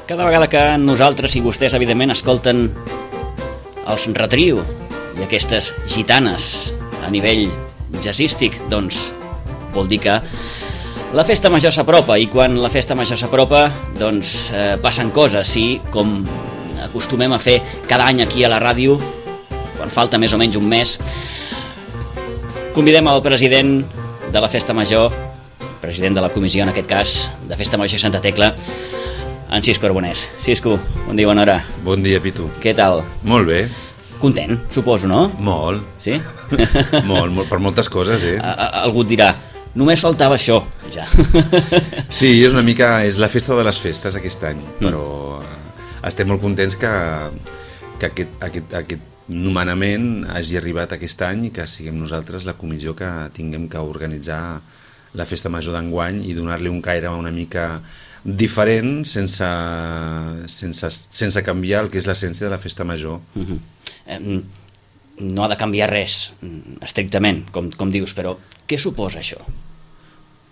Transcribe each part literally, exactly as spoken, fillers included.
Cada vegada que nosaltres i vostès, evidentment, escolten els Retrio i aquestes gitanes a nivell jazzístic, doncs vol dir que la festa major s'apropa, i quan la festa major s'apropa, doncs eh, passen coses, i com acostumem a fer cada any aquí a la ràdio, quan falta més o menys un mes, convidem el president de la festa major, president de la comissió, en aquest cas, de Festa Major Santa Tecla, en Xisco Arbonès. Xisco, bon dia, bona hora. Bon dia, Pitu. Què tal? Molt bé. Content, suposo, no? Molt. Sí? molt, molt, per moltes coses, eh? A, a, algú et dirà, només faltava això, ja. Sí, és una mica, és la festa de les festes aquest any, però mm. estem molt contents que, que aquest, aquest, aquest nomenament hagi arribat aquest any i que siguem nosaltres la comissió que tinguem que organitzar la festa major d'enguany i donar-li un caire una mica diferent sense, sense, sense canviar el que és l'essència de la festa major. Mm-hmm. eh, no ha de canviar res estrictament, com, com dius, però què suposa això,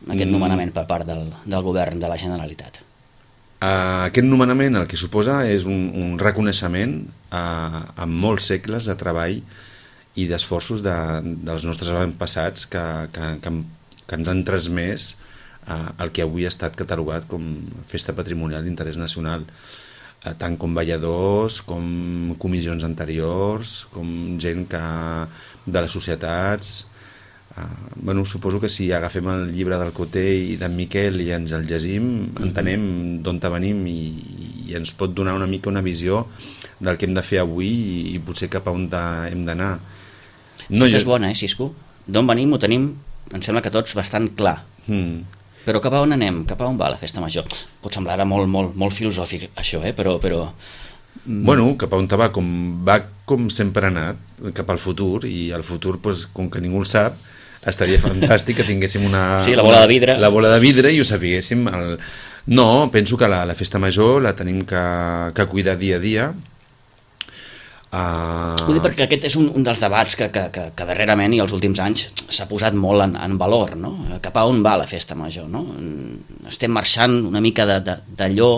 aquest mm. nomenament per part del, del govern de la Generalitat? Uh, aquest nomenament el que suposa és un, un reconeixement uh, amb molts segles de treball i d'esforços de, dels nostres avantpassats que, que, que, que ens han transmès uh, el que avui ha estat catalogat com festa patrimonial d'interès nacional, uh, tant com balladors, com comissions anteriors, com gent que, de les societats. Uh, bueno, suposo que si agafem el llibre del Coté i d'en Miquel i ens el llegim, mm-hmm. entenem d'on venim i, i ens pot donar una mica una visió del que hem de fer avui i, i potser cap a on hem d'anar. No, Aquesta jo... és bona, eh, Xisco? D'on venim ho tenim, em sembla que tots bastant clar. Mm. Però cap a on anem? Cap a on va la festa major? Pot semblar ara molt, molt, molt filosòfic això, eh? però... però... Bueno, cap a on va, com va com sempre ha anat, cap al futur, i el futur, pues, com que ningú el sap, estaria fantàstic que tinguéssim una... Sí, la bola de vidre. La bola de vidre i ho sapiguéssim. El... No, penso que la, la festa major la tenim que, que cuidar dia a dia. Uh... Vull dir perquè aquest és un, un dels debats que, que, que, que darrerament i els últims anys s'ha posat molt en, en valor, no? Cap a on va la festa major, no? Estem marxant una mica d'allò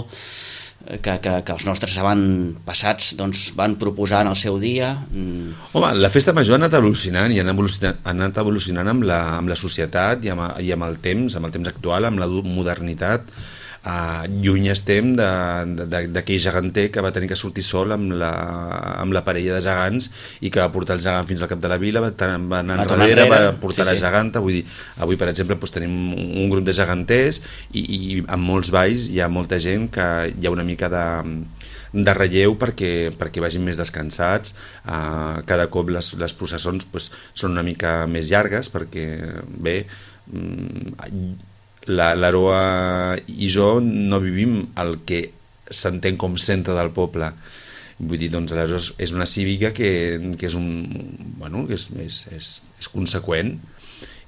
que, que, que els nostres avantpassats doncs, van proposar en el seu dia. Home, la festa major ha anat evolucionant i ha evolucionat, ha anat evolucionant amb la, amb la societat i amb, i amb el temps, amb el temps actual, amb la modernitat. Uh, lluny estem d'aquell geganter que va tenir que sortir sol amb la, amb la parella de gegants i que va portar el gegant fins al cap de la vila, va, va anar va enrere, va portar sí, la sí. geganta. Vull dir, avui, per exemple, doncs, tenim un grup de geganters i, i en molts balls hi ha molta gent que hi ha una mica de, de relleu perquè, perquè vagin més descansats. Uh, cada cop les, les processons doncs, són una mica més llargues perquè, bé... Mm, l'Aroa i jo no vivim el que s'entén com centre del poble. Vull dir, doncs, aleshores és una cívica que, que és un... Bueno, que és, és, és, és conseqüent,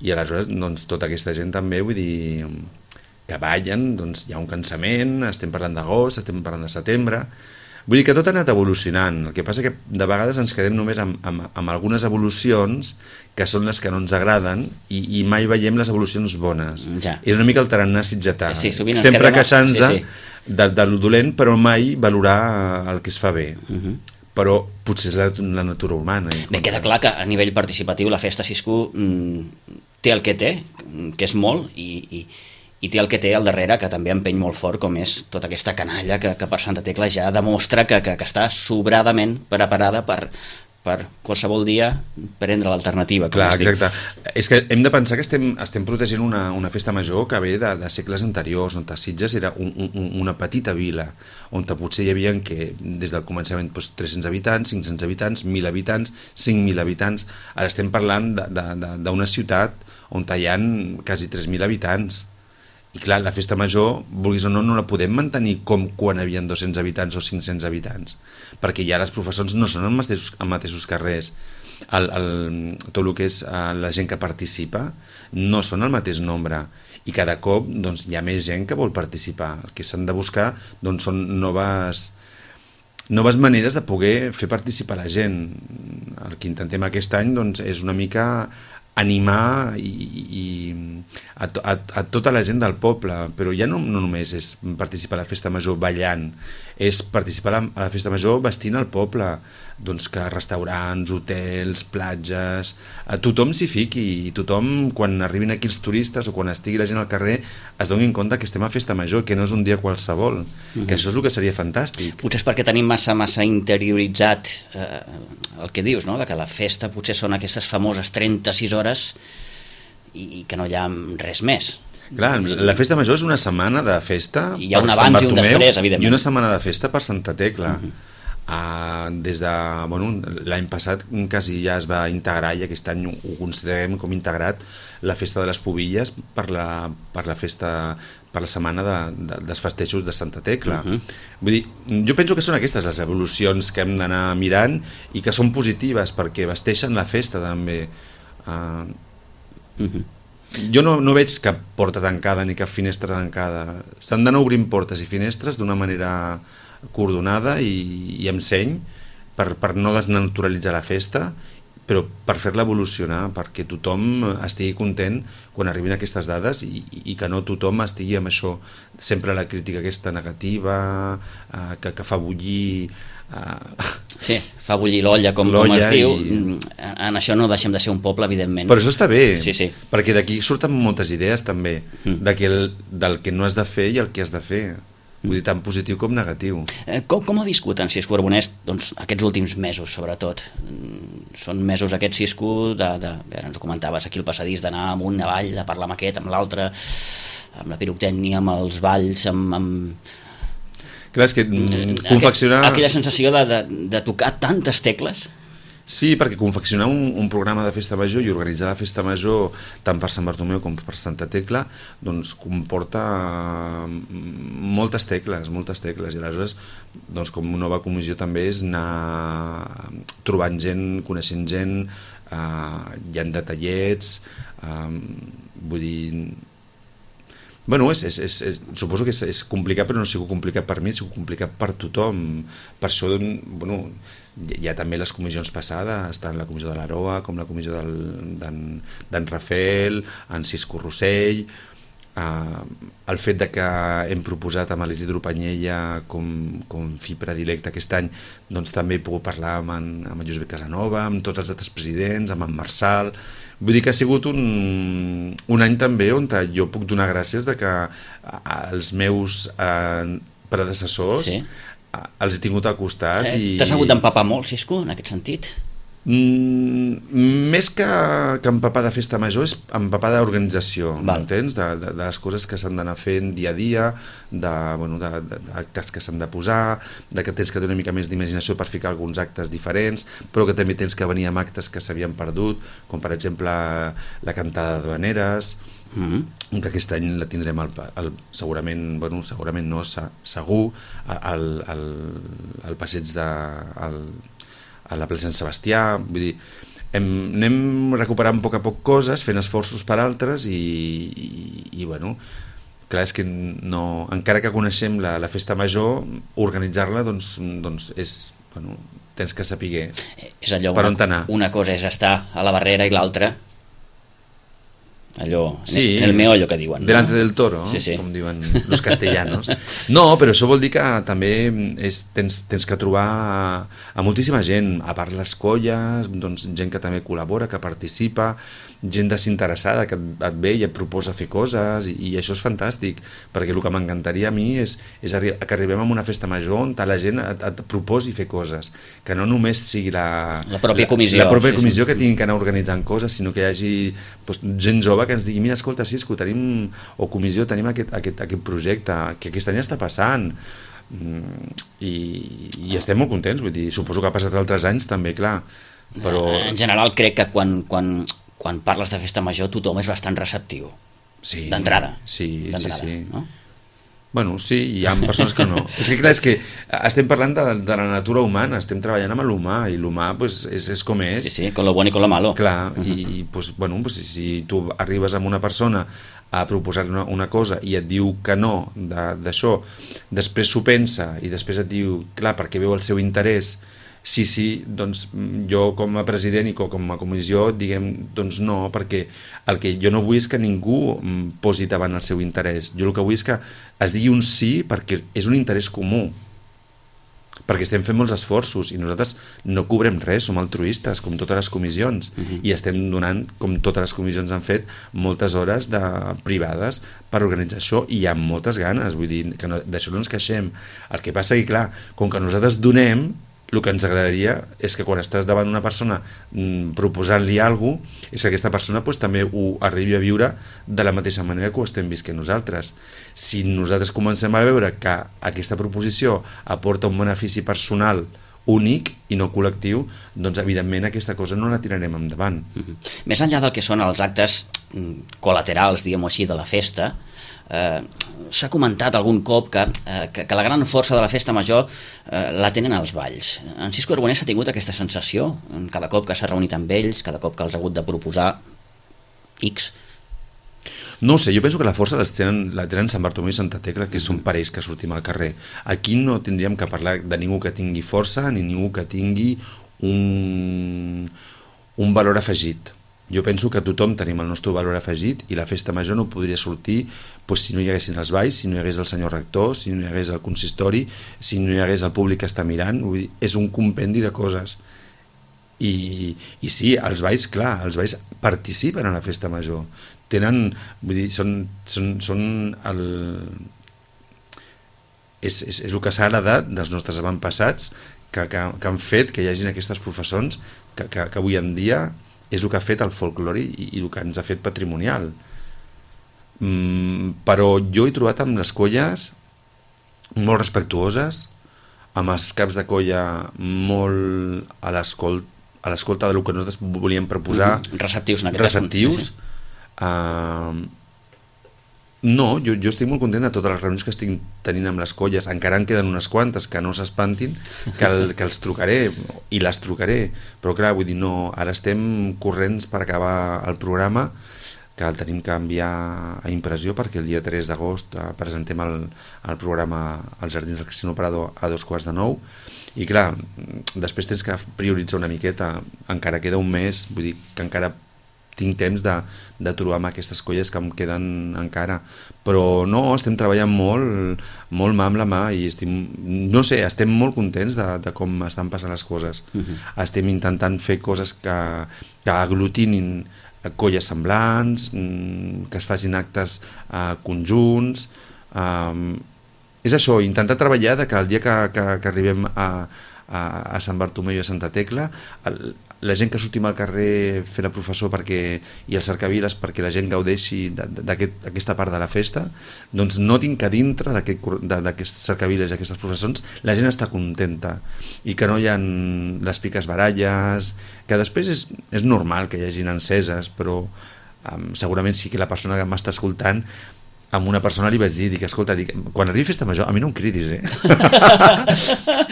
i aleshores doncs, tota aquesta gent també, vull dir, que ballen, doncs hi ha un cansament, estem parlant d'agost, estem parlant de setembre... Vull dir que tot ha anat evolucionant, el que passa que de vegades ens quedem només amb, amb, amb algunes evolucions que són les que no ens agraden i, i mai veiem les evolucions bones. Ja. És una mica el tarannà sitgetà, sí, sempre queixant-se sí, sí. de, de lo dolent, però mai valorar el que es fa bé. Uh-huh. Però potser és la, la natura humana. Bé, queda clar que a nivell participatiu la festa Xisco mm, té el que té, que és molt, i... i i té el que té al darrere, que també empeny molt fort, com és tota aquesta canalla que, que per Santa Tecla ja demostra que, que, que està sobradament preparada per, per qualsevol dia prendre l'alternativa. Clar, exacte. És que hem de pensar que estem, estem protegint una, una festa major que ve de, de segles anteriors, on Sitges era un, un, una petita vila, on potser hi havia que, des del començament doncs, tres-cents habitants, cinc-cents habitants, mil habitants, cinc mil habitants. Ara estem parlant d'una ciutat on hi ha quasi tres mil habitants. I clar, la festa major, vulguis o no, no la podem mantenir com quan hi havia dos-cents habitants o cinc-cents habitants, perquè ja les professors no són els mateixos, els mateixos carrers, el, el, tot el que és la gent que participa no són el mateix nombre, i cada cop doncs, hi ha més gent que vol participar. El que s'han de buscar doncs, són noves, noves maneres de poder fer participar la gent. El que intentem aquest any doncs, és una mica animar i, i a, a, a tota la gent del poble, però ja no, no només és participar a la festa major ballant, és participar a la, a la festa major vestint el poble, doncs que restaurants, hotels, platges, a tothom s'hi fiqui i tothom, quan arribin aquí els turistes o quan estigui la gent al carrer, es donin compte que estem a festa major, que no és un dia qualsevol, mm-hmm. que això és el que seria fantàstic. Potser és perquè tenim massa, massa interioritzat eh, el que dius, no? Que la festa potser són aquestes famoses trenta-sis hores i, i que no hi ha res més. Clar, la festa major és una setmana de festa i hi ha un abans i un després, evidentment, i una setmana de festa per Santa Tecla. Mm-hmm. Uh, des de, bueno, l'any passat quasi ja es va integrar i aquest any ho considerem com integrat la festa de les Pubilles per la, per la festa, per la setmana de, de, dels festejos de Santa Tecla. Uh-huh. Vull dir, jo penso que són aquestes les evolucions que hem d'anar mirant i que són positives perquè vesteixen la festa també. Uh, uh-huh. Jo no, no veig cap porta tancada ni cap finestra tancada. S'han d'anar obrint portes i finestres d'una manera coordonada i, i amb seny per, per no desnaturalitzar la festa, però per fer-la evolucionar, perquè tothom estigui content quan arribin aquestes dades i, i que no tothom estigui amb això, sempre la crítica aquesta negativa, eh, que, que fa bullir... Eh... Sí, fa bullir l'olla, com, com es diu. I... En això no deixem de ser un poble, evidentment. Però això està bé, sí, sí. Perquè d'aquí surten moltes idees també, mm. de que el, del que no has de fer i el que has de fer. Vull dir, tant positiu com negatiu. Eh, com, com ha viscut en Cisco Arbonès doncs, aquests últims mesos, sobretot? Són mesos aquests, Cisco, de, de, bé, ens ho comentaves aquí al passadís, d'anar amunt, avall, de parlar amb aquest, amb l'altre, amb la pirotècnia, amb els balls, amb... amb... Clar, és que mm, confeccionar... Aqu aquella sensació de, de, de tocar tantes tecles... Sí, perquè confeccionar un, un programa de festa major i organitzar la festa major tant per Sant Bartomeu com per Santa Tecla doncs comporta moltes tecles, moltes tecles i aleshores doncs, com una nova comissió també és anar trobant gent, coneixent gent, eh, hi ha detallets, eh, vull dir... Bueno, és, és, és, és, suposo que és, és complicat, però no ha sigut complicat per mi, ha sigut complicat per tothom. Per això, bueno, hi ha també les comissions passades, tant la comissió de l'Aroa com la comissió d'en Rafael, en Cisco Rossell, eh, el fet de que hem proposat amb l'Isidro Panyella com, com fi predilecte aquest any, doncs també he pogut parlar amb en, amb en Josep Casanova, amb tots els altres presidents, amb en Marçal... Vull dir que ha sigut un, un any també on jo puc donar gràcies de que els meus eh, predecessors sí. els he tingut al costat. Eh, i... T'has hagut d'empapar molt, Cisco, en aquest sentit? Mm, més que, que empapar de festa major és empapar d'organització, m'entens? De, de, de les coses que s'han d'anar fent dia a dia, de, bueno, de, de, d'actes que s'han de posar, de que tens que tenir una mica més d'imaginació per ficar alguns actes diferents, però que també tens que venir amb actes que s'havien perdut, com per exemple la cantada de Vaneres, mm-hmm. que aquest any la tindrem al, al, segurament, bueno, segurament no, segur, al, al, al passeig de... Al, a la plaça Sant Sebastià, vull dir, hem, anem recuperant a poc a poc coses, fent esforços per altres i, i, i bueno, clar, és que no, encara que coneixem la, la festa major, organitzar-la doncs, doncs és, bueno, tens que saber és allò, per una, on anar. Una cosa és estar a la barrera i l'altra allò, sí, en el meollo que diuen, no? Delante del toro, sí, sí. com diuen los castellanos. No, però això vol dir que també és, tens, tens que trobar a, a moltíssima gent, a part les colles, doncs, gent que també col·labora, que participa, gent desinteressada que et, et ve i et proposa fer coses i, i això és fantàstic, perquè el que m'encantaria a mi és, és arri que arribem a una festa major on la gent et, et proposi fer coses, que no només sigui la, la pròpia comissió, la, la pròpia sí, comissió sí. que tinguin que anar organitzant coses, sinó que hi hagi doncs, gent jove que ens digui, mira, escolta, Cisco, tenim, o comissió, tenim aquest, aquest, aquest projecte, que aquest any està passant, i, i estem molt contents, vull dir, suposo que ha passat altres anys també, clar, però... En general crec que quan, quan, quan parles de festa major tothom és bastant receptiu, sí, d'entrada, sí, sí, sí. No? Bueno, sí, hi ha persones que no. És que clar, és que estem parlant de, de la natura humana, estem treballant amb l'humà, i l'humà pues, és, és com és. Sí, sí, con lo bueno i con lo malo. Clar, uh-huh. i pues, bueno, pues, si tu arribes amb una persona a proposar una, una cosa i et diu que no d'això, després s'ho pensa i després et diu, clar, perquè veu el seu interès Sí, sí, doncs jo com a president i com a comissió diguem, doncs no, perquè el que jo no vull és que ningú posi davant el seu interès. Jo el que vull és que es digui un sí perquè és un interès comú, perquè estem fent molts esforços i nosaltres no cobrem res, som altruistes com totes les comissions uh-huh. i estem donant, com totes les comissions han fet, moltes hores de privades per organitzar això i hi ha moltes ganes, vull dir que no, d'això no ens queixem. El que passa que clar, com que nosaltres donem, el que ens agradaria és que quan estàs davant d'una persona mmm, proposant-li alguna cosa, és que aquesta persona pues, també ho arribi a viure de la mateixa manera que ho estem visquent nosaltres. Si nosaltres comencem a veure que aquesta proposició aporta un benefici personal únic i no col·lectiu, doncs evidentment aquesta cosa no la tirarem endavant. Mm-hmm. Més enllà del que són els actes col·laterals, diguem-ho així, de la festa, eh, s'ha comentat algun cop que, eh, que, que la gran força de la festa major eh, la tenen els balls. En Cisco Arbonès ha tingut aquesta sensació cada cop que s'ha reunit amb ells, cada cop que els ha hagut de proposar X? No ho sé, jo penso que la força la tenen, la tenen Sant Bartomeu i Santa Tecla, que són parells que sortim al carrer. Aquí no tindríem que parlar de ningú que tingui força ni ningú que tingui un, un valor afegit. Jo penso que tothom tenim el nostre valor afegit i la festa major no podria sortir pues, si no hi haguessin els balls, si no hi hagués el senyor rector, si no hi hagués el consistori, si no hi hagués el públic que està mirant. Vull dir, és un compendi de coses. I, i sí, els balls, clar, els balls participen a la festa major. Tenen, vull dir, són, són, són el... És, és, és el que s'ha heredat dels nostres avantpassats que, que, que han fet que hi hagin aquestes professons que, que, que avui en dia és el que ha fet el folklore i, i el que ens ha fet patrimonial. Mm, però jo he trobat amb les colles molt respectuoses, amb els caps de colla molt a l'escolta a l'escolta del que nosaltres volíem proposar, mm-hmm. receptius en aquest receptius. Sí, sí. Uh, no, jo, jo estic molt content de totes les reunions que estic tenint amb les colles, encara en queden unes quantes que no s'espantin, que, el, que els trucaré i les trucaré, però clar, vull dir, no, ara estem corrents per acabar el programa, que el tenim que enviar a impressió perquè el dia tres d'agost uh, presentem el, el programa als Jardins del Casino Prado a dos quarts de nou i clar, després tens que prioritzar una miqueta, encara queda un mes, vull dir que encara tinc temps de, de trobar amb aquestes colles que em queden encara, però no, estem treballant molt, molt mà amb la mà i estem, no sé, estem molt contents de, de com estan passant les coses. Uh-huh. Estem intentant fer coses que, que aglutinin colles semblants, que es facin actes eh, conjunts, eh, és això, intentar treballar de que el dia que, que, que arribem a, a, a Sant Bartomeu i a Santa Tecla, el, la gent que sortim al carrer fent el professor perquè, i els cercaviles perquè la gent gaudeixi d'aquesta part de la festa, doncs notin que dintre d'aquests cercaviles i aquestes processons la gent està contenta i que no hi ha les piques baralles, que després és, és normal que hi hagin enceses, però um, segurament sí que la persona que m'està escoltant, amb una persona li vaig dir, dic, escolta, dic, quan arribi festa major, a mi no em cridis, eh?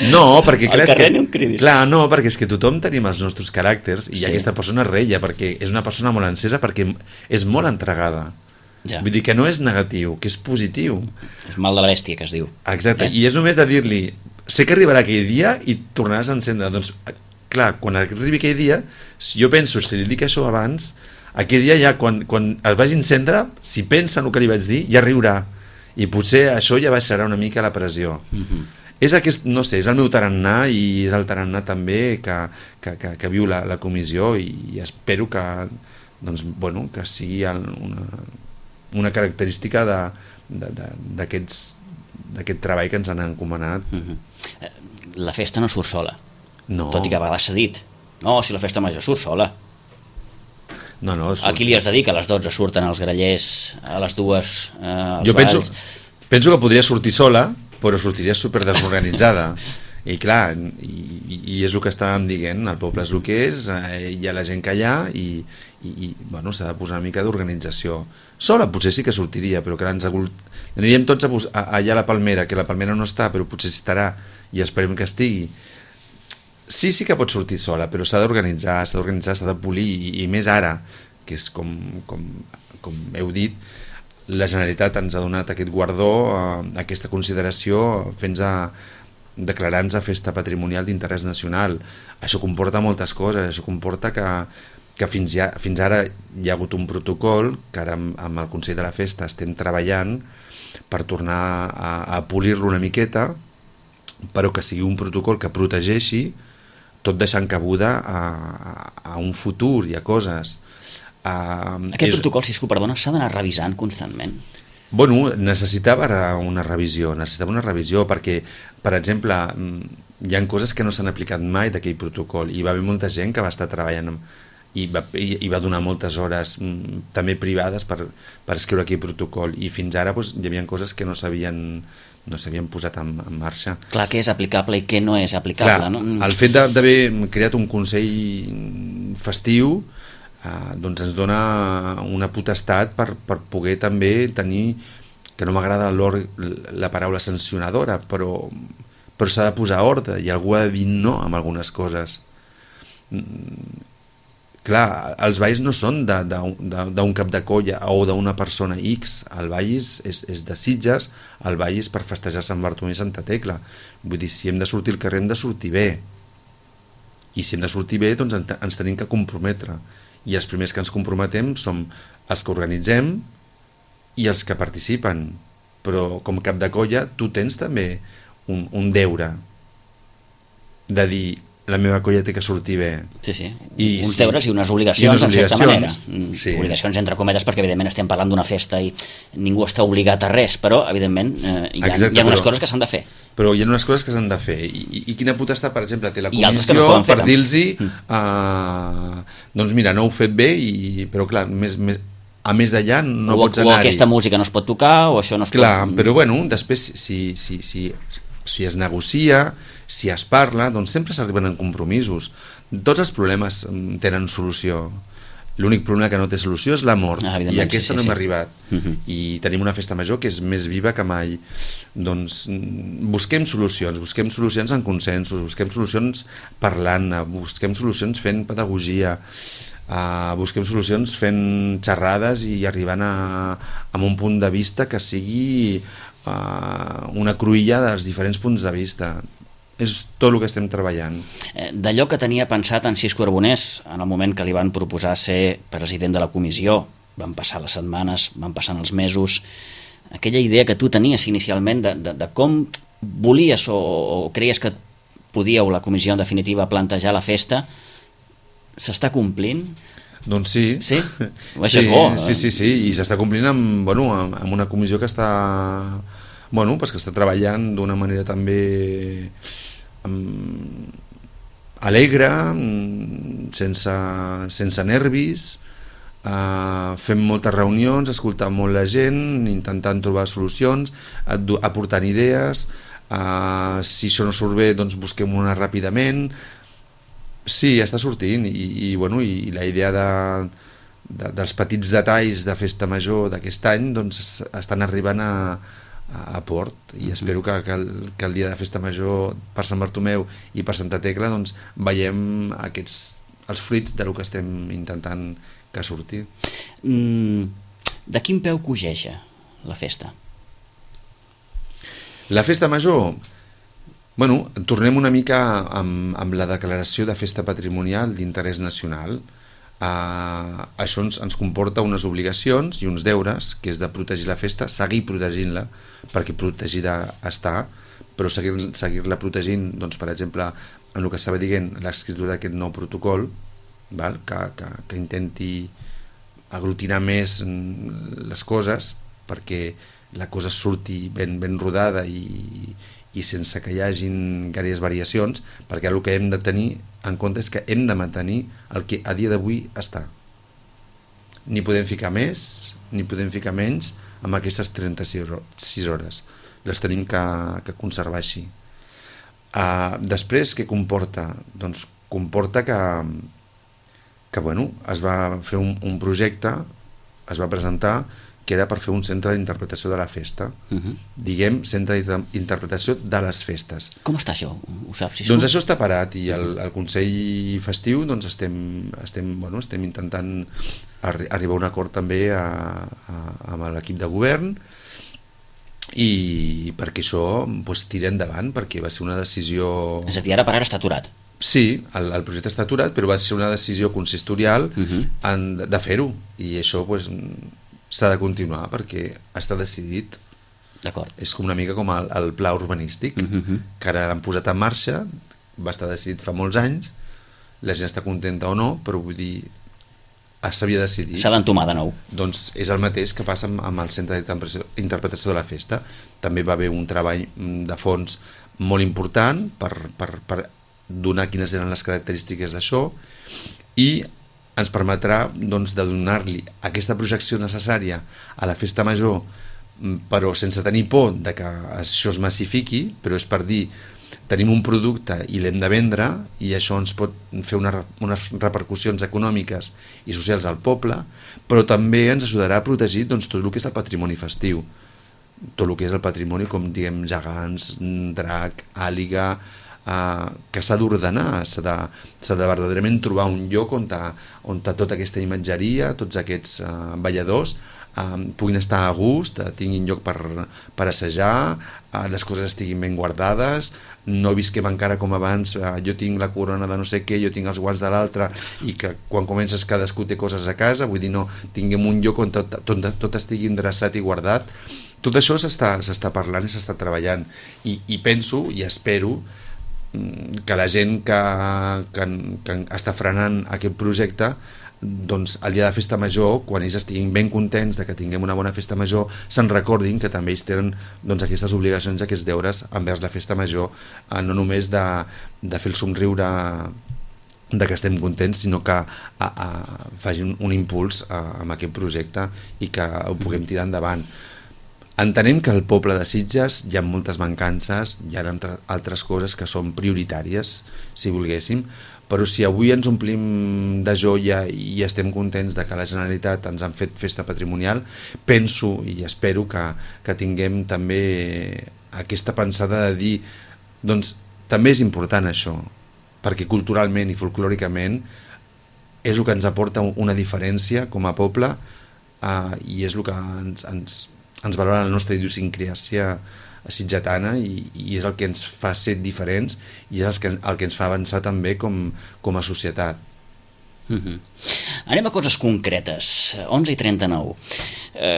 No, perquè clar, al carrer que, no em cridis. Clar, no, perquè és que tothom tenim els nostres caràcters i sí. Aquesta persona reia perquè és una persona molt encesa, perquè és molt entregada. Ja. Vull dir que no és negatiu, que és positiu. És mal de la bèstia, que es diu. Exacte, eh? I és només de dir-li, sé que arribarà aquell dia i tornaràs a encendre. Doncs, clar, quan arribi aquell dia, si jo penso, si li dic això abans, aquell dia ja, quan, quan el vagi encendre, si pensa en el que li vaig dir, ja riurà. I potser això ja baixarà una mica la pressió. Uh-huh. És aquest, no sé, és el meu tarannà i és el tarannà també que, que, que, que viu la, la comissió i espero que, doncs, bueno, que sigui una, una característica d'aquest treball que ens han encomanat. Uh-huh. La festa no surt sola. No. Tot i que a vegades s'ha dit, no, si la festa major surt sola. No, no, surt... Aquí li has de dir que a les dotze surten els grallers, a les dues eh, els jo penso, balls. penso que podria sortir sola, però sortiria super desorganitzada. I clar, i, i és el que estàvem dient, el poble és el que és, eh, hi ha la gent que hi ha i, i, i bueno, s'ha de posar una mica d'organització. Sola potser sí que sortiria, però que ens agul... aniríem tots a, a, allà a la Palmera, que la Palmera no està, però potser estarà i esperem que estigui. Sí, sí que pot sortir sola, però s'ha d'organitzar, s'ha d'organitzar, s'ha de polir, i, i més ara, que és com, com, com heu dit, la Generalitat ens ha donat aquest guardó, eh, aquesta consideració, fent a, declarant-se festa patrimonial d'interès nacional. Això comporta moltes coses, això comporta que, que fins, ja, fins ara hi ha hagut un protocol que ara amb, amb el Consell de la Festa estem treballant per tornar a, a polir-lo una miqueta, però que sigui un protocol que protegeixi, tot deixant cabuda a, a, a un futur i a coses. A, Aquest és... protocol, si es que perdona, s'ha d'anar revisant constantment. Bueno, necessitava una revisió, necessitava una revisió perquè, per exemple, hi ha coses que no s'han aplicat mai d'aquell protocol i va haver molta gent que va estar treballant i va, i va donar moltes hores també privades per, per escriure aquell protocol i fins ara doncs, hi havia coses que no s'havien no s'havien posat en, en marxa. Clar, què és aplicable i què no és aplicable. Clar, no? El fet d'haver creat un consell festiu Uh, doncs ens dona una potestat per, per poder també tenir, que no m'agrada la paraula sancionadora, però, però s'ha de posar ordre i algú ha de dir no amb algunes coses. Mm, clar, els balls no són d'un cap de colla o d'una persona X, el ball és, és, és de Sitges, el ball és per festejar Sant Bartomeu i Santa Tecla. Vull dir, si hem de sortir al carrer hem de sortir bé, i si hem de sortir bé doncs ens tenim que comprometre. I els primers que ens comprometem som els que organitzem i els que participen, però com cap de colla tu tens també un, un deure de dir la meva colla té que sortir bé. Sí, sí, I uns sí, deures i unes obligacions, i unes en certa manera. Sí. Obligacions entre cometes perquè evidentment estem parlant d'una festa i ningú està obligat a res, però evidentment eh, hi ha, Exacte, hi ha unes però... coses que s'han de fer. Però hi ha unes coses que s'han de fer i, i, i quina potestat, per exemple, té la comissió no per dir-los uh, doncs mira, no ho he fet bé i, però clar, més, més, a més d'allà no o, pots anar-hi. O aquesta música no es pot tocar o això no es clar, pot... Però bueno, després si, si, si, si es negocia, si es parla, doncs sempre s'arriben en compromisos. Tots els problemes tenen solució. L'únic problema que no té solució és la mort, ah, i aquesta sí, sí, no hem sí. arribat. Uh-huh. I tenim una festa major que és més viva que mai. Doncs busquem solucions, busquem solucions en consensos, busquem solucions parlant, busquem solucions fent pedagogia, uh, busquem solucions fent xerrades i arribant a, a un punt de vista que sigui uh, una cruïlla dels diferents punts de vista. És tot el que estem treballant. D'allò que tenia pensat en Cisco Arbonés en el moment que li van proposar ser president de la comissió, van passar les setmanes, van passant els mesos, aquella idea que tu tenies inicialment de, de, de com volies o, o creies que podíeu la comissió en definitiva plantejar la festa, s'està complint? Doncs sí. Sí? Això sí, és bo. Sí, sí, sí, i s'està complint amb, bueno, amb una comissió que està... Bueno, pues que està treballant d'una manera també um, alegre, um, sense, sense nervis, uh, fem moltes reunions, escoltant molt la gent, intentant trobar solucions, aportant idees, uh, si això no surt bé doncs busquem una ràpidament. Sí, està sortint i, i, bueno, i la idea de, de, dels petits detalls de festa major d'aquest any doncs estan arribant a a port i espero que, que, el, que el dia de festa major per Sant Bartomeu i per Santa Tecla doncs veiem aquests, els fruits del que estem intentant que surti. Mm, de quin peu cogeja la festa? La festa major, bueno, tornem una mica amb, amb la declaració de festa patrimonial d'interès nacional. Uh, això ens, ens comporta unes obligacions i uns deures, que és de protegir la festa, seguir protegint-la, perquè protegida està, però seguir-la seguir protegint, doncs, per exemple, en el que estava dient, l'escriptura d'aquest nou protocol, val? Que, que, que intenti aglutinar més les coses perquè la cosa surti ben, ben rodada i, i sense que hi hagin gaires variacions, perquè el que hem de tenir en compte és que hem de mantenir el que a dia d'avui està. Ni podem ficar més, ni podem ficar menys amb aquestes trenta-sis hores. Les tenim que, que conservar així. Uh, després, què comporta? Doncs comporta que, que bueno, es va fer un, un projecte, es va presentar, que era per fer un centre d'interpretació de la festa. Uh-huh. Diguem, centre d'interpretació de les festes. Com està això? Ho saps? Si doncs això està parat i el, el Consell Festiu doncs estem, estem, bueno, estem intentant arri- arribar a un acord també a, a, amb l'equip de govern i perquè això doncs, tira endavant, perquè va ser una decisió... És a dir, ara per ara està aturat. Sí, el, el projecte està aturat, però va ser una decisió consistorial uh -huh. en, de fer-ho, i això doncs, s'ha de continuar perquè està decidit. D'acord. És com una mica com el, el pla urbanístic, uh -huh. que ara l'han posat en marxa, va estar decidit fa molts anys, la gent està contenta o no, però vull dir, s'havia decidit. S'ha d'entomar de nou. Doncs és el mateix que passa amb, amb el Centre d'Interpretació de la Festa. També va haver un treball de fons molt important per, per, per donar quines eren les característiques d'això, i ens permetrà doncs, de donar-li aquesta projecció necessària a la Festa Major, però sense tenir por de que això es massifiqui, però és per dir, tenim un producte i l'hem de vendre, i això ens pot fer una, unes repercussions econòmiques i socials al poble, però també ens ajudarà a protegir doncs, tot el que és el patrimoni festiu, tot el que és el patrimoni, com diguem, gegants, drac, àliga, eh, que s'ha d'ordenar, s'ha de, s'ha de verdaderament trobar un lloc on, ta, on ta tota aquesta imatgeria, tots aquests eh, balladors, Uh, puguin estar a gust, uh, tinguin lloc per, per assajar, uh, les coses estiguin ben guardades, no visquem encara com abans, uh, jo tinc la corona de no sé què, jo tinc els guants de l'altre, i que quan comences cadascú té coses a casa, vull dir, no, tinguem un lloc on tot, tot, tot estigui endreçat i guardat. Tot això s'està s'està parlant i s'està treballant, i, i penso i espero que la gent que, que, que està frenant aquest projecte, doncs el dia de Festa Major, quan ells estiguin ben contents de que tinguem una bona Festa Major, se'n recordin que també ells tenen doncs, aquestes obligacions, aquests deures envers la Festa Major, eh, no només de, de fer el somriure de que estem contents, sinó que a, a, facin un impuls a, amb aquest projecte i que ho puguem tirar endavant. Entenem que al poble de Sitges hi ha moltes mancances, hi ha altres coses que són prioritàries, si volguéssim, però si avui ens omplim de joia i estem contents de que la Generalitat ens han fet festa patrimonial, penso i espero que, que tinguem també aquesta pensada de dir, doncs també és important això, perquè culturalment i folclòricament és el que ens aporta una diferència com a poble, eh, i és el que ens, ens, ens valora la nostra idiosincràsia sitgetana, i, i és el que ens fa ser diferents, i és el que, el que ens fa avançar també com, com a societat. Uh-huh. Anem a coses concretes. onze i trenta-nou. Eh,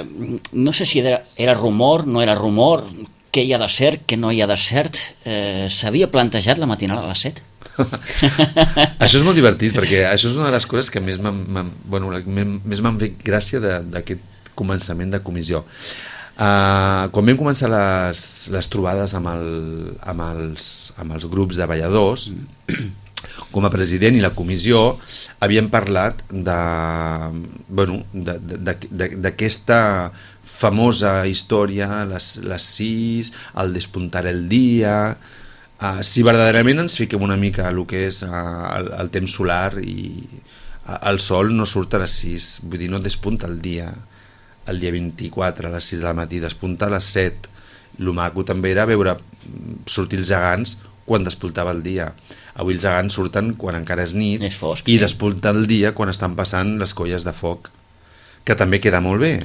no sé si era, era rumor, no era rumor, què hi ha de cert, què no hi ha de cert. Eh, S'havia plantejat la matinal a les set? Això és molt divertit, perquè això és una de les coses que més m'han bueno, m'han fet gràcia d'aquest començament de comissió. Uh, quan vam començar les, les trobades amb, el, amb, els, amb els grups de balladors, com a president i la comissió havíem parlat de, bueno, d'aquesta famosa història, les, les sis, el despuntar el dia, uh, si verdaderament ens fiquem una mica a el que és uh, el, el temps solar, i uh, el sol no surt a les sis, vull dir, no despunta el dia el dia vint-i-quatre a les sis del matí, despunta a les set. El maco també era veure sortir els gegants quan despuntava el dia. Avui els gegants surten quan encara és nit, és fosc, i sí. despunta el dia quan estan passant les colles de foc, que també queda molt bé.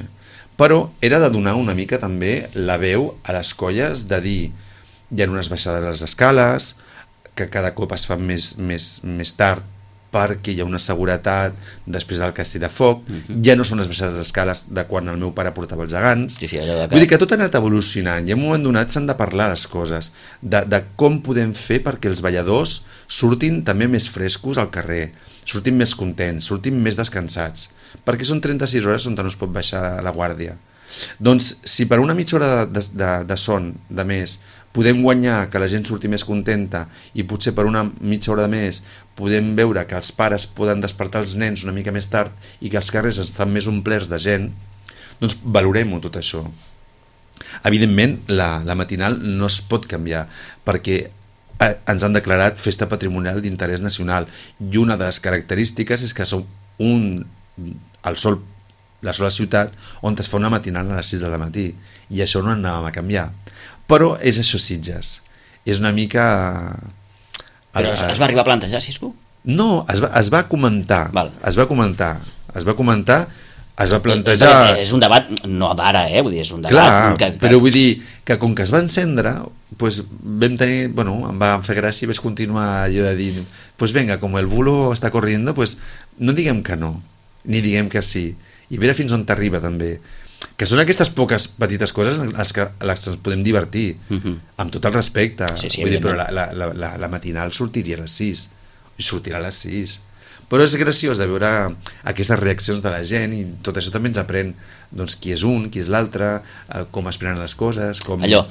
Però era de donar una mica també la veu a les colles, de dir, hi ha unes baixades a les escales, que cada cop es fan més, més, més tard, perquè hi ha una seguretat després del castell de foc, uh-huh. ja no són les baixades d'escales de quan el meu pare portava els gegants. Sí, sí, allò de que... Vull dir que tot ha anat evolucionant, i en un moment donat s'han de parlar les coses, de, de com podem fer perquè els balladors surtin també més frescos al carrer, surtin més contents, surtin més descansats, perquè són trenta-sis hores on no es pot baixar la guàrdia. Doncs si per una mitja hora de, de, de son de més podem guanyar que la gent surti més contenta, i potser per una mitja hora de més podem veure que els pares poden despertar els nens una mica més tard i que els carrers estan més omplerts de gent, doncs valorem-ho tot això. Evidentment, la, la matinal no es pot canviar, perquè eh, ens han declarat festa patrimonial d'interès nacional, i una de les característiques és que som un, el sol, la sola ciutat on es fa una matinal a les sis del matí, i això no anàvem a canviar. Però és això, Sitges. És una mica... Però es, es va arribar a plantejar, Sisco? No, es va, es va comentar. Val. Es va comentar. Es va comentar es va plantejar... És un debat, no d'ara, eh? Vull dir, és un debat... Clar, que, que... però vull dir que com que es va encendre, pues vam tenir... Bueno, em va fer gràcia i vaig continuar allò de dir, pues venga, com el bulo està corriendo, pues no diguem que no, ni diguem que sí, i veure fins on t'arriba també. Que són aquestes poques petites coses en les que, en les que ens podem divertir, uh-huh. amb tot el respecte. Sí, sí, vull dir, però la, la, la, la matinal sortiria a les sis, i sortirà a les sis. Però és graciós de veure aquestes reaccions de la gent i tot això també ens aprèn doncs, qui és un, qui és l'altre, eh, com es prenen les coses... Com... Allò,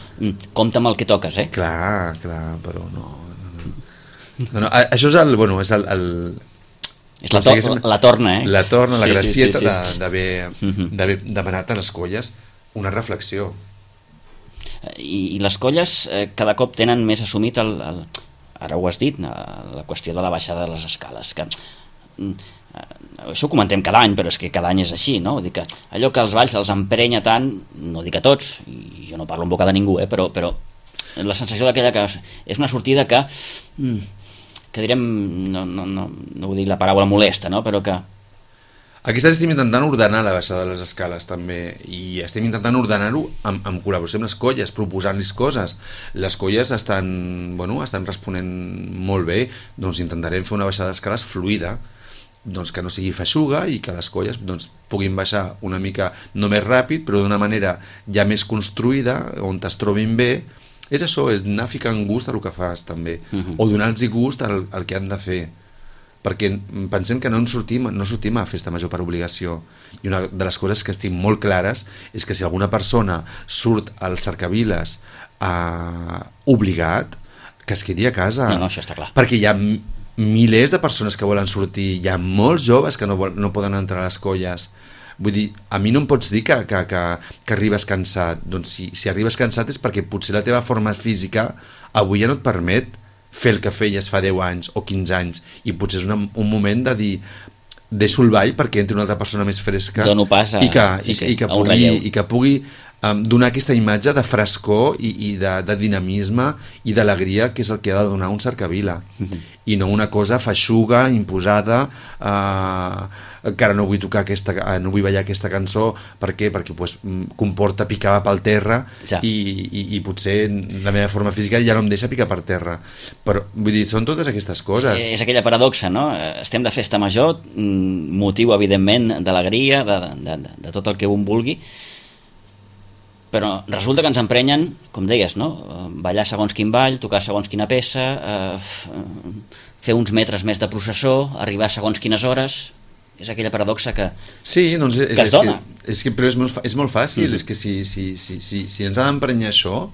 compta amb el que toques, eh? Clar, clar, però no... no, no. no, no això és el... Bueno, és el, el... És la, to la torna, eh? La torna, la sí, gracieta sí, sí, sí. d'haver uh-huh. demanat a les colles una reflexió. I, i les colles eh, cada cop tenen més assumit el, el... Ara ho has dit, la qüestió de la baixada de les escales, que... això ho comentem cada any, però és que cada any és així, no? Vull dir que allò que els balls els emprenya tant, no dic a tots, i jo no parlo en boca de ningú, eh? però, però la sensació d'aquella que és una sortida que que direm, no, no, no, no vull dir la paraula molesta, no? Però que aquí estem intentant ordenar la baixada de les escales també, i estem intentant ordenar-ho amb, amb col·laboració amb les colles, proposant-los coses. Les colles estan, bueno, estan responent molt bé, doncs intentarem fer una baixada d'escales fluida, doncs que no sigui feixuga i que les colles doncs, puguin baixar una mica no més ràpid però d'una manera ja més construïda on es trobin bé. És això, és anar ficant gust a el que fas també, uh-huh. o donar-los gust al, al que han de fer, perquè pensem que no en sortim, no sortim a festa major per obligació, i una de les coses que estic molt clares és que si alguna persona surt als cercaviles eh, obligat, que es quedi a casa, no, no, això està clar. Perquè hi ha milers de persones que volen sortir, hi ha molts joves que no, vol, no poden entrar a les colles. Vull dir, a mi no em pots dir que, que, que, que arribes cansat. Doncs si, si arribes cansat és perquè potser la teva forma física avui ja no et permet fer el que feies fa deu anys o quinze anys, i potser és una, un moment de dir deixo el ball perquè entri una altra persona més fresca Dono pas a, i que, sí, i, sí, i que a un pugui, relleu. i que pugui um, donar aquesta imatge de frescor i, i de, de dinamisme i d'alegria, que és el que ha de donar un cercavila, mm-hmm. i no una cosa feixuga, imposada, uh, que ara no vull tocar aquesta, uh, no vull ballar aquesta cançó. Per què? Perquè pues, comporta picar pel terra, ja. i, i, i potser la meva forma física ja no em deixa picar per terra. Però vull dir, són totes aquestes coses. És, és aquella paradoxa, no? Estem de festa major, motiu evidentment d'alegria, de, de, de, de tot el que un vulgui, però resulta que ens emprenyen, com deies, no? Ballar segons quin ball, tocar segons quina peça, eh, fer uns metres més de processó, arribar segons quines hores. És aquella paradoxa que, sí, doncs és, que es és dona. Que, és que, però és molt, és molt fàcil, mm-hmm. és que si, si, si, si, si ens ha d'emprenyar això,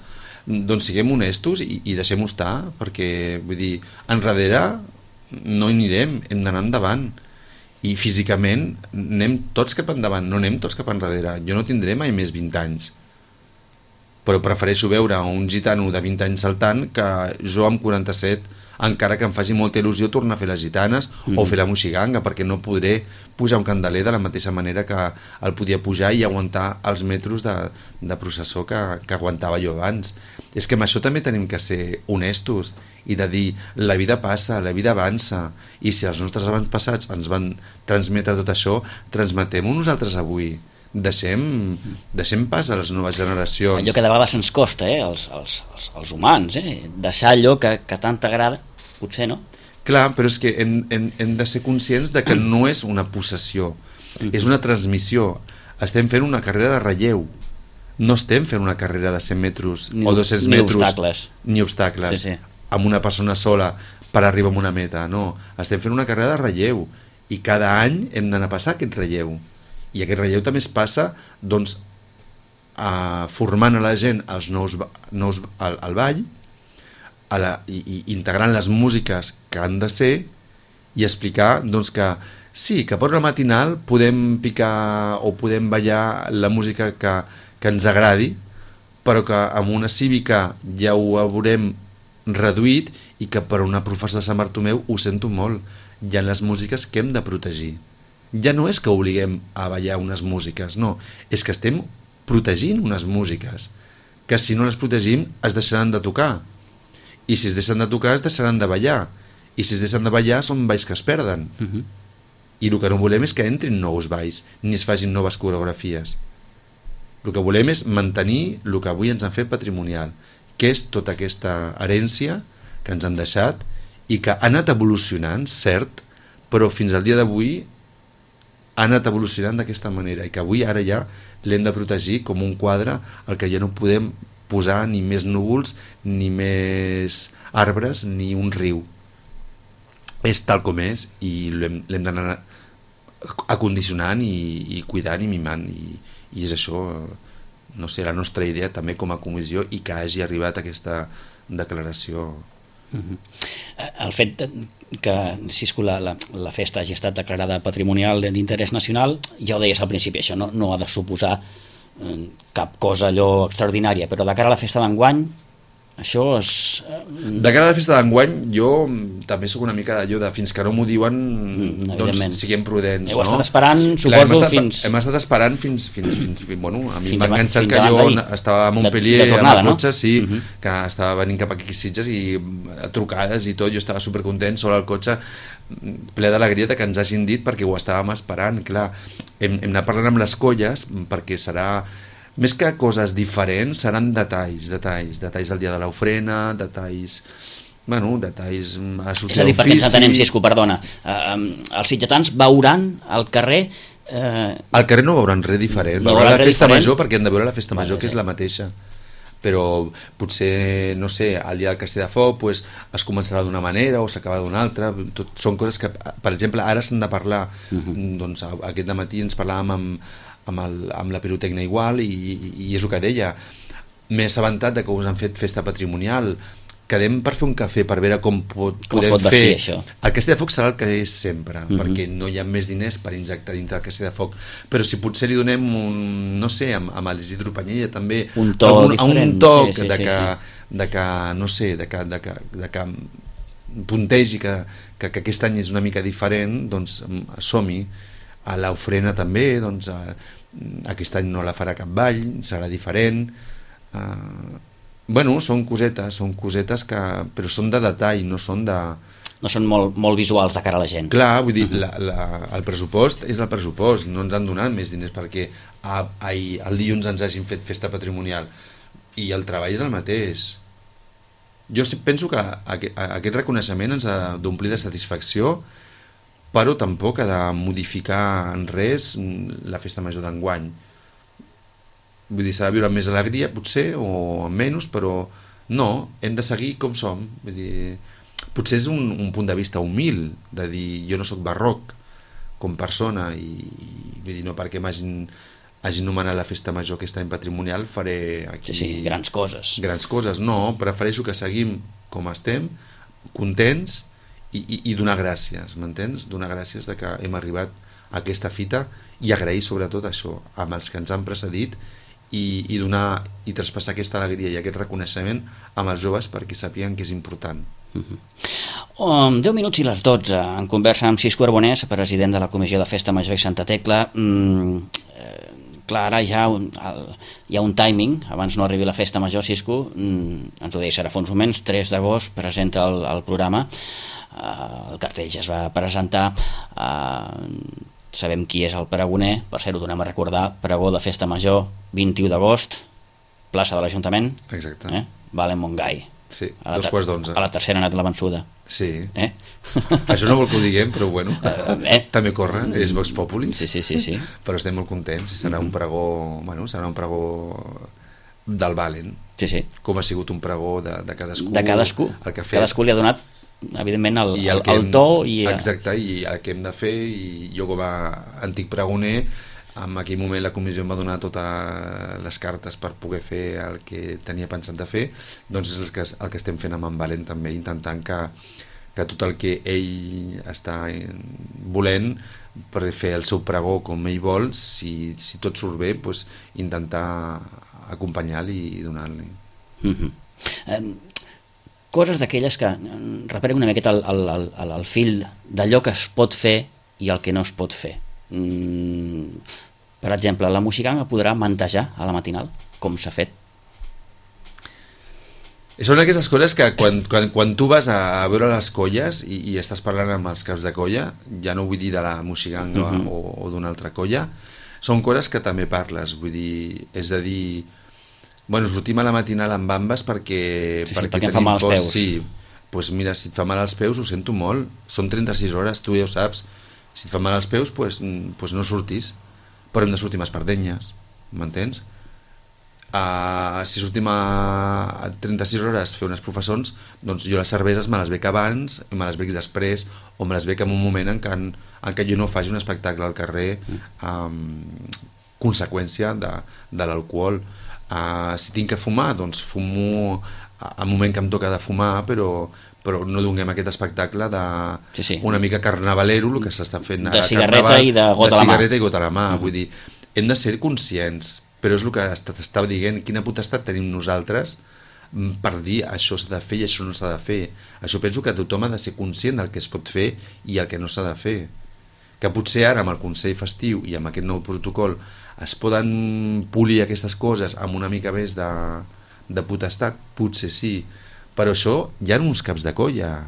doncs siguem honestos i, i deixem-ho estar, perquè, vull dir, enrere no hi anirem, hem d'anar endavant. I físicament anem tots cap endavant, no anem tots cap enrere. Jo no tindré mai més vint anys, però prefereixo veure un gitano de vint anys saltant que jo amb quaranta-set, encara que em faci molta il·lusió tornar a fer les gitanes mm. o fer la moixiganga, perquè no podré pujar un candeler de la mateixa manera que el podia pujar i aguantar els metros de, de processó que, que aguantava jo abans. És que amb això també tenim que ser honestos i de dir, la vida passa, la vida avança, i si els nostres avantpassats ens van transmetre tot això, transmetem-ho nosaltres avui. Deixem, deixem pas a les noves generacions. Allò que de vegades ens costa, eh? els, els, els, els humans, eh? Deixar allò que, que tant t'agrada, potser no? Clar, però és que hem, hem, hem de ser conscients de que no és una possessió, mm-hmm. és una transmissió. Estem fent una carrera de relleu, no estem fent una carrera de cent metres ni, o dos-cents ni metres, obstacles. ni obstacles, sí, sí. amb una persona sola per arribar a una meta, no, estem fent una carrera de relleu, i cada any hem d'anar a passar aquest relleu. I aquest relleu també es passa doncs, a, formant a la gent els nous, nous al, al ball, a la, i, i integrant les músiques que han de ser, i explicar doncs, que sí, que per una matinal podem picar o podem ballar la música que, que ens agradi, però que amb una cívica ja ho haurem reduït, i que per una professora de Sant Bartomeu ho sento molt, hi ha les músiques que hem de protegir. Ja no és que obliguem a ballar unes músiques, no, és que estem protegint unes músiques, que si no les protegim es deixaran de tocar, i si es deixen de tocar es deixaran de ballar, i si es deixen de ballar són balls que es perden. Uh-huh. i el que no volem és que entrin nous balls ni es facin noves coreografies. El que volem és mantenir el que avui ens han fet patrimonial, que és tota aquesta herència que ens han deixat i que ha anat evolucionant, cert, però fins al dia d'avui ha anat evolucionant d'aquesta manera i que avui ara ja l'hem de protegir com un quadre al que ja no podem posar ni més núvols, ni més arbres, ni un riu. És tal com és i l'hem d'anar acondicionant i, i cuidant i mimant i, i és això, no sé, la nostra idea també com a comissió i que hagi arribat a aquesta declaració. Uh-huh. El fet que Cisco, la, la, la festa hagi estat declarada patrimonial d'interès nacional, ja ho deies al principi, això no, no ha de suposar eh, cap cosa allò extraordinària, però de cara a la festa d'enguany això és... De cara a la festa d'enguany jo també sóc una mica d'allò de fins que no m'ho diuen mm, doncs siguem prudents. Heu no? estat esperant, suposo, Clar, hem estat, fins... Hem estat esperant fins... fins, fins, fins bueno, a mi m'ha enganxat que jo estava a Montpellier de, de tornada, amb el cotxe, no? Sí, uh-huh. que estava venint cap aquí a Sitges i trucades i tot, jo estava supercontent sobre el cotxe, ple d'alegria que ens hagin dit perquè ho estàvem esperant. Clar, hem, hem anat parlant amb les colles perquè serà... Més que coses diferents, seran detalls, detalls, detalls del dia de l'ofrena, detalls, bueno, detalls a sortir És a dir, perquè ens entenem, Cisco, perdona, uh, els sitgetans veuran al carrer... Uh... Al carrer no veuran res diferent, veuran la festa diferent? major perquè han de veure la festa major, vale, que és la mateixa. Però potser, no sé, al dia del Castell de Foc pues, es començarà d'una manera o s'acabarà d'una altra. Tot, són coses que, per exemple, ara s'han de parlar. Uh-huh. Doncs aquest dematí ens parlàvem amb, amb, el, amb la pirotècnia igual i, i, i és el que deia. M'he assabentat de que us han fet festa patrimonial. Quedem per fer un cafè, per veure com, pot, com podem es pot fer. vestir això. El Castell de Foc serà el que és sempre, uh-huh. perquè no hi ha més diners per injectar dintre del Castell de Foc. Però si potser li donem un, no sé, amb, amb l'Isidro Panyella també, un to algun, diferent. Un toc sí, sí, de, sí, que, sí. de que, no sé, de que, de que, de que puntegi que, que, que aquest any és una mica diferent, doncs som-hi. A l'ofrena també, doncs a, aquest any no la farà cap ball, serà diferent. Uh, bueno, són cosetes, són cosetes que, però són de detall, no són de... No són molt, molt visuals de cara a la gent. Clar, vull dir, uh-huh. la, la, el pressupost és el pressupost, no ens han donat més diners perquè a, a, el dilluns ens hagin fet festa patrimonial i el treball és el mateix. Jo penso que aquest reconeixement ens ha d'omplir de satisfacció, però tampoc ha de modificar en res la festa major d'enguany. Vull dir, s'ha de viure amb més alegria, potser, o amb menys, però no, hem de seguir com som. Vull dir, potser és un, un punt de vista humil, de dir, jo no sóc barroc com persona, i, i vull dir, no perquè m'hagin hagin nomenat la festa major aquest any patrimonial, faré aquí... Sí, sí, grans coses. Grans coses, no, prefereixo que seguim com estem, contents, i, i, i donar gràcies, m'entens? Donar gràcies de que hem arribat a aquesta fita i agrair sobretot això, amb els que ens han precedit, i, i donar i traspassar aquesta alegria i aquest reconeixement amb els joves perquè sàpiguen que és important. Uh-huh. um, deu minuts i les dotze en conversa amb Cisco Arbonès, president de la Comissió de Festa Major i Santa Tecla. mm, eh, clar, ara ja un, el, hi ha un timing abans no arribi la festa major. Cisco, mm, ens ho deia ara fa uns moments, tres d'agost presenta el, el programa, uh, el cartell ja es va presentar, uh, sabem qui és el pregoner, per ser ho donem a recordar, pregó de festa major, vint-i-u d'agost, plaça de l'Ajuntament. Exacte. Eh? Valen Montgai. Sí, dos quarts d'onze. A la tercera ha anat la vençuda. Sí. Eh? Això no vol que ho diguem, però bueno, eh? també corre, és Vox Populis. Sí, sí, sí, sí. Però estem molt contents, serà un pregó, bueno, serà un pregó del Valen. Sí, sí. Com ha sigut un pregó de, de cadascú. De cadascú. El que ha fet. Cadascú li ha donat, evidentment, el, el, el, el to i... Exacte, i el que hem de fer, i jo com a antic pregoner, en aquell moment la comissió em va donar totes les cartes per poder fer el que tenia pensat de fer, doncs és el que, el que estem fent amb en Valent també, intentant que, que tot el que ell està volent per fer el seu pregó com ell vol, si, si tot surt bé, doncs intentar acompanyar-li i donar-li. Mm-hmm. eh, coses d'aquelles que reparen una miqueta el, el, el, el fil d'allò que es pot fer i el que no es pot fer. Mm, per exemple, la Moixiganga podrà mantejar a la matinal, com s'ha fet? Són aquestes coses que quan, quan, quan tu vas a, a veure les colles i, i estàs parlant amb els caps de colla, ja no vull dir de la Moixiganga uh -huh. o, o d'una altra colla, són coses que també parles, vull dir, és a dir, bueno, sortim a la matinal amb bambes perquè, sí, sí, perquè, perquè em fa mal als post, peus. Sí, pues mira, si et fa mal als peus ho sento molt, són trenta-sis hores, tu ja ho saps, si et fa mal als peus pues, pues no surtis, però hem de sortir amb espardenyes, m'entens? Uh, si sortim a trenta-sis hores a fer unes professons, doncs jo les cerveses me les bec abans, me les bec després, o me les bec en un moment en què, en, en què jo no faci un espectacle al carrer um, conseqüència de, de l'alcohol. Uh, si tinc que fumar, doncs fumo al moment que em toca de fumar, però, però no donem aquest espectacle de sí, sí. una mica carnavalero, el que s'està fent de a cigarreta carnaval, i de gota de a la mà. cigarreta i gota a la mà. Uh -huh. Vull dir, hem de ser conscients, però és el que t'estava dient, quina potestat tenim nosaltres per dir això s'ha de fer i això no s'ha de fer. Això penso que tothom ha de ser conscient del que es pot fer i el que no s'ha de fer. Que potser ara amb el Consell Festiu i amb aquest nou protocol es poden polir aquestes coses amb una mica més de, de potestat, potser sí, però això hi ha uns caps de colla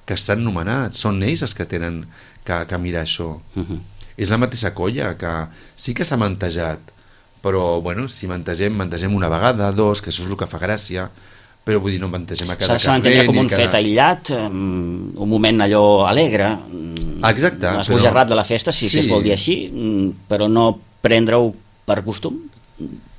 que estan nomenats, són ells els que tenen que, que mirar això. Uh-huh. És la mateixa colla que sí que s'ha mantejat, però bueno, si mantegem, mantegem una vegada, dos, que això és el que fa gràcia, però vull dir, no mantegem a cada s'ha d'entendre com un cada... fet aïllat, un moment allò alegre, exacte, esbojarrat de la festa, si, sí. si es vol dir així, però no prendre-ho per costum.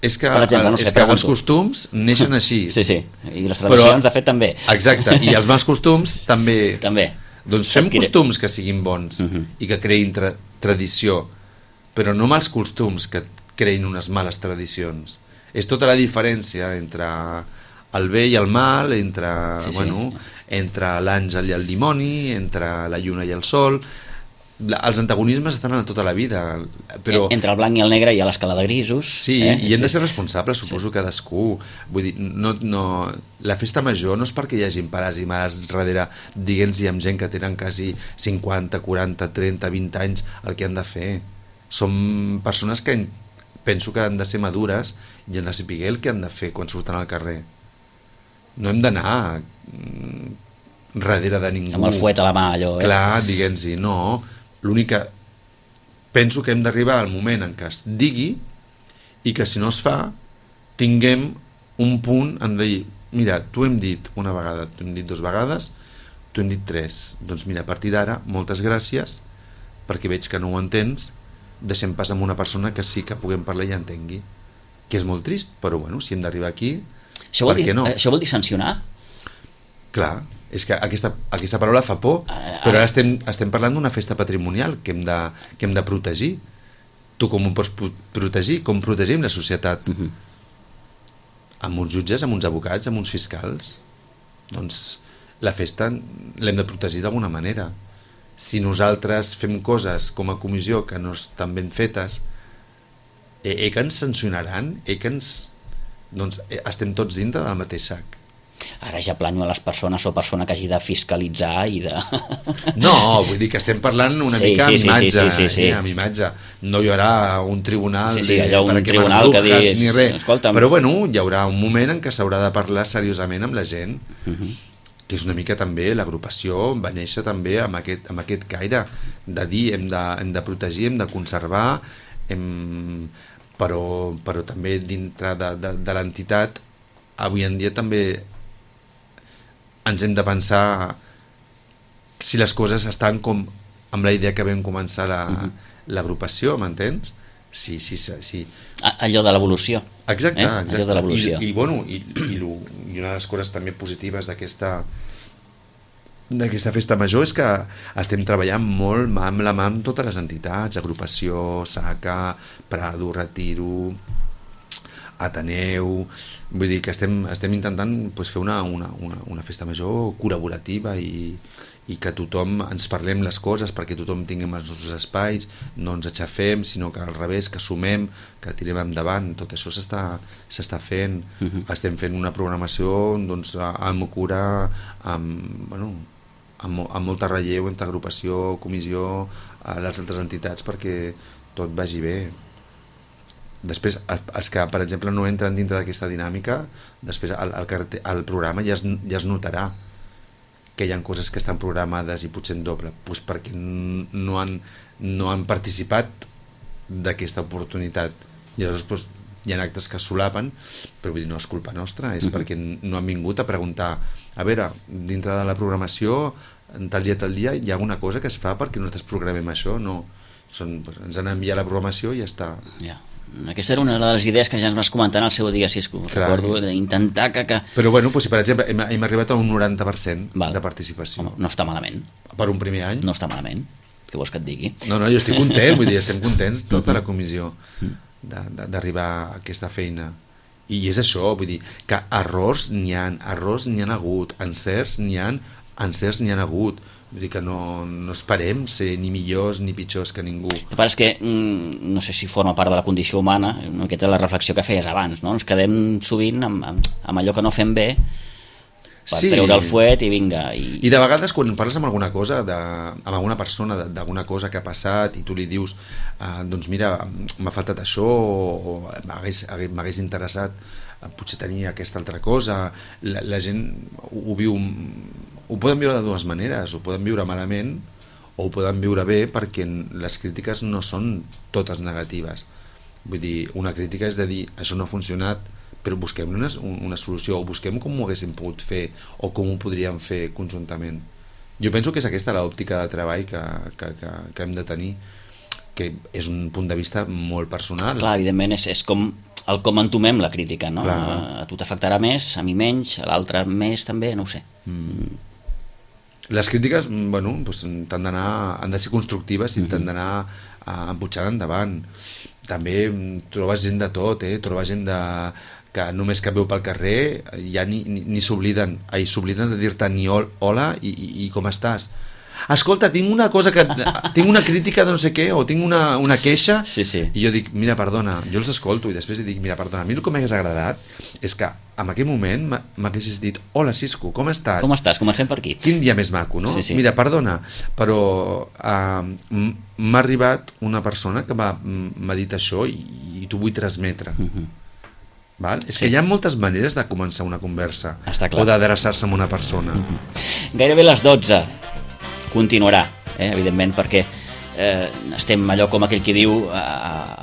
És que, per exemple, no sé, és que els costums neixen així. Sí, sí, i les tradicions, però, de fet, també. Exacte, i els mals costums també. També. Doncs fem costums que siguin bons uh -huh. i que creïn tra tradició, però no mals costums que creïn unes males tradicions. És tota la diferència entre el bé i el mal, entre, sí, bueno, sí. entre l'àngel i el dimoni, entre la lluna i el sol. Els antagonismes estan a tota la vida, però... Entre el blanc i el negre hi ha l'escala de grisos. Sí, eh? i hem sí. de ser responsables, suposo sí. cadascú. Vull dir, no, no... la festa major no és perquè hi hagi pares i mares darrere diguent-hi amb gent que tenen quasi cinquanta, quaranta, trenta, vint anys el que han de fer. Som persones que penso que han de ser madures i han de saber el que han de fer quan surten al carrer. No hem d'anar darrere de ningú. Amb el fuet a la mà, allò, eh? Clar, diguem-hi, no... L'únic que penso que hem d'arribar al moment en què es digui i que si no es fa tinguem un punt en dir, mira, t'ho hem dit una vegada, t'ho hem dit dues vegades, t'ho hem dit tres, doncs mira, a partir d'ara moltes gràcies perquè veig que no ho entens, deixem pas amb una persona que sí que puguem parlar i entengui, que és molt trist, però bueno, si hem d'arribar aquí, això per dir, què no? Això vol dir sancionar? Clar, és que aquesta, aquesta paraula fa por, però ara estem, estem parlant d'una festa patrimonial que hem, de, que hem de protegir. Tu com ho pots protegir? Com protegim la societat? Uh-huh. Amb uns jutges, amb uns advocats, amb uns fiscals? Doncs la festa l'hem de protegir d'alguna manera. Si nosaltres fem coses com a comissió que no estan ben fetes, eh, eh que ens sancionaran? Eh que ens... Doncs eh, estem tots dintre del mateix sac. Ara ja planyo a les persones o persona que hagi de fiscalitzar i de... No, vull dir que estem parlant una sí, mica sí, amb imatge, sí, sí, sí, sí. Eh, amb imatge. No hi haurà un tribunal sí, sí, de, allò, un per tribunal que diguis, ni res. Escolta'm. Però bueno, hi haurà un moment en què s'haurà de parlar seriosament amb la gent, uh-huh. que és una mica també, l'agrupació va néixer també amb aquest, amb aquest caire de dir hem de, hem de protegir, hem de conservar, hem... Però, però també dintre de, de, de l'entitat avui en dia també ens hem de pensar si les coses estan com amb la idea que vam començar la, uh-huh. l'agrupació, m'entens? Sí, sí, sí, sí. Allò de l'evolució. Exacte, eh? exacte. Allò de l'evolució. I, i, bueno, i, i, lo, i una de les coses també positives d'aquesta d'aquesta festa major és que estem treballant molt mà amb la mà amb totes les entitats, agrupació, SACA, Prado, Retiro, Ateneu, vull dir que estem, estem intentant pues, fer una, una, una, una festa major col·laborativa i, i que tothom ens parlem les coses perquè tothom tinguem els nostres espais, no ens aixafem, sinó que al revés, que sumem, que tirem endavant, tot això s'està s'està fent. Uh-huh. Estem fent una programació doncs, amb cura, amb, bueno, amb, amb molta relleu entre agrupació, comissió, a les altres entitats perquè tot vagi bé. Després, els que, per exemple, no entren dintre d'aquesta dinàmica, després el, el, el programa ja es, ja es notarà que hi ha coses que estan programades i potser en doble, doncs perquè no han, no han participat d'aquesta oportunitat. I llavors doncs, hi ha actes que es solapen, però vull dir, no és culpa nostra, és uh-huh. perquè no han vingut a preguntar, a veure, dintre de la programació, tal dia, tal dia, hi ha alguna cosa que es fa perquè nosaltres programem això, no. Són, ens han enviat la programació i ja està. Ja. Aquesta era una de les idees que ja ens vas comentar en el seu dia, Cisco. Recordo d'intentar que, que... Però bueno, doncs, si per exemple hem, hem arribat a un noranta per cent Val. de participació. Home, no està malament. Per un primer any. No està malament. Què vols que et digui? No, no, jo estic content, vull dir, estem contents, tota la comissió, d'arribar a aquesta feina. I és això, vull dir, que errors n'hi ha, errors n'hi ha hagut, encerts n'hi ha, encerts n'hi ha hagut. Vull dir que no, no esperem ser ni millors ni pitjors que ningú. El que passa és que, no sé si forma part de la condició humana, una miqueta la reflexió que feies abans, no? Ens quedem sovint amb, amb, amb allò que no fem bé per sí. treure el fuet i vinga. I... I de vegades quan parles amb alguna cosa, de, amb alguna persona, d'alguna cosa que ha passat i tu li dius, eh, doncs mira, m'ha faltat això o m'hagués interessat potser tenir aquesta altra cosa, la, la gent ho, ho viu... Ho poden viure de dues maneres, ho poden viure malament o ho poden viure bé, perquè les crítiques no són totes negatives. Vull dir, una crítica és de dir això no ha funcionat, però busquem una, una solució, o busquem com ho haguéssim pogut fer o com ho podríem fer conjuntament. Jo penso que és aquesta l'òptica de treball que, que, que, que hem de tenir, que és un punt de vista molt personal. Clar, evidentment és, és com el com entomem la crítica, no? A, a tu t'afectarà més, a mi menys, a l'altre més també, no ho sé. Mm. Les crítiques, bueno, doncs, han d'anar, han de ser constructives i han d'anar uh, empujant endavant. També trobes gent de tot, eh? Trobes gent de, que només que veu pel carrer ja ni, ni, ni s'obliden, ai, s'obliden de dir-te ni hola i, i, i com estàs. Escolta, tinc una cosa que... tinc una crítica de no sé què, o tinc una, una queixa, sí, sí. I jo dic, mira, perdona, jo els escolto i després dic, mira, perdona, a mi el que m'hagués agradat és que en aquell moment m'haguessis dit, hola Cisco, com estàs? Com estàs? Comencem per aquí. Quin dia més maco, no? Sí, sí. Mira, perdona, però uh, m'ha arribat una persona que m'ha dit això i, i t'ho vull transmetre. Uh-huh. Val? És sí. que hi ha moltes maneres de començar una conversa o d'adreçar-se a una persona. Uh-huh. Gairebé les dotze. Continuarà, eh, evidentment, perquè eh, estem allò com aquell qui diu a,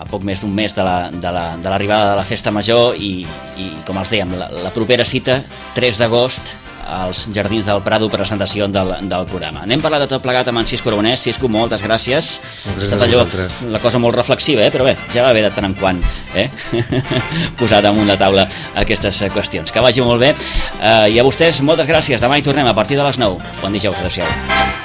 a poc més d'un mes de l'arribada la, de, la, de la festa major i, i com els dèiem, la, la propera cita tres d'agost als Jardins del Prado, presentació del, del programa. N'hem parlat de tot plegat amb en Cisco Aragonès. Cisco, moltes gràcies. Moltes gràcies a vosaltres. La cosa molt reflexiva, eh? Però bé, ja va bé de tant en quant eh? posar damunt la taula aquestes qüestions. Que vagi molt bé. Eh, I a vostès, moltes gràcies. Demà hi tornem a partir de les nou. Bon dijous. Adéu-siau.